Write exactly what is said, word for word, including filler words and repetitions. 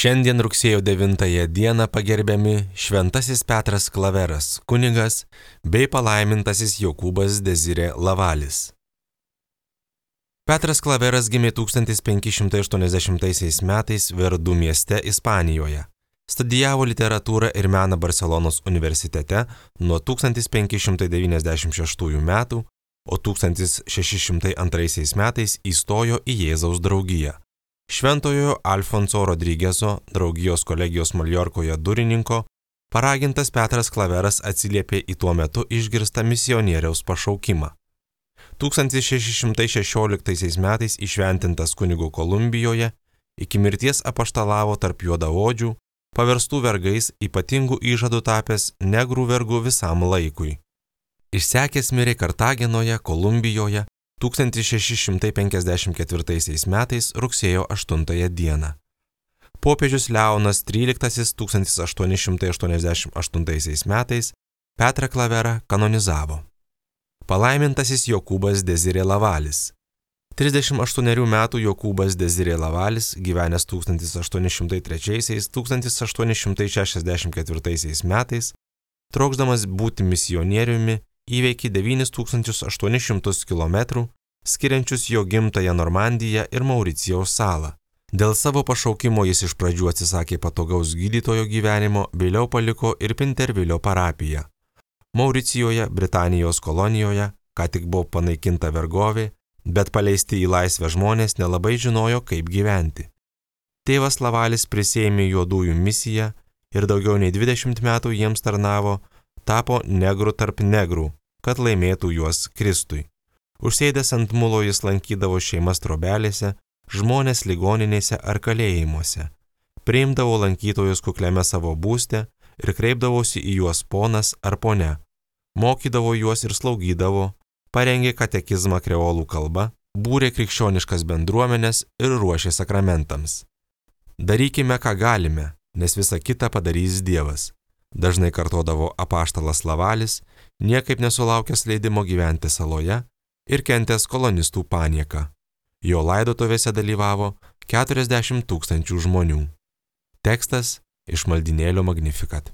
Šiandien rugsėjo devintąją dieną pagerbiami Šventasis Petras Klaveras, kunigas, bei palaimintasis Jokūbas Dezirė Lavalis. Petras Klaveras gimė tūkstantis penki šimtai aštuoniasdešimtaisiais metais Verdu mieste Ispanijoje. Studijavo literatūrą ir meną Barselonos universitete nuo tūkstantis penki šimtai devyniasdešimt šeštųjų metų, o tūkstantis šeši šimtai antraisiais metais įstojo į Jėzaus draugiją. Šventojo Alfonso Rodrigeso, draugijos kolegijos Maljorkoje durininko, paragintas Petras Klaveras atsiliepė į tuo metu išgirstą misionieriaus pašaukimą. tūkstantis šeši šimtai šešioliktaisiais metais įšventintas kunigu Kolumbijoje, iki mirties apaštalavo tarp juodaodžių, paverstų vergais, ypatingų įžadų tapęs negrų vergu visam laikui. Išsekęs mirė Kartagenoje, Kolumbijoje, tūkstantis šeši šimtai penkiasdešimt ketvirtaisiais metais rugsėjo aštuntąją dieną. Popiežius Leonas tryliktasis tūkstantis aštuoni šimtai aštuoniasdešimt aštuntaisiais metais Petrą Klaverą kanonizavo. Palaimintasis Jokūbas Dezirė Lavalis. trisdešimt aštuonerių metų Jokūbas Dezirė Lavalis, gyvenęs tūkstantis aštuoni šimtai trečiaisiais - tūkstantis aštuoni šimtai šešiasdešimt ketvirtaisiais metais, trokšdamas būti misionieriumi, įveikė devynis tūkstančius aštuonis šimtus kilometrų, skiriančius jo gimtąją Normandiją ir Mauricijaus salą. Dėl savo pašaukimo jis iš pradžių atsisakė patogaus gydytojo gyvenimo, vėliau paliko ir Pintervilio parapiją. Mauricijoje, Britanijos kolonijoje, ką tik buvo panaikinta vergovė, bet paleisti į laisvę žmonės nelabai žinojo, kaip gyventi. Tėvas Lavalis prisėmė juodųjų misiją ir daugiau nei dvidešimt metų jiems tarnavo, tapo negru tarp negrų, kad laimėtų juos Kristui. Užsėdęs ant mulo jis lankydavo šeimas trobelėse, žmonės ligoninėse ar kalėjimuose, priimdavo lankytojus kukliame savo būste ir kreipdavosi į juos ponas ar ponia, mokydavo juos ir slaugydavo, parengė katekizmą kreolų kalba, būrė krikščioniškas bendruomenės ir ruošė sakramentams. Darykime, ką galime, nes visa kita padarys Dievas. Dažnai kartodavo apaštalas Lavalis, niekaip nesulaukęs leidimo gyventi saloje ir kentęs kolonistų panieką. Jo laidotuvėse dalyvavo keturiasdešimt tūkstančių žmonių. Tekstas iš maldynėlio Magnificat.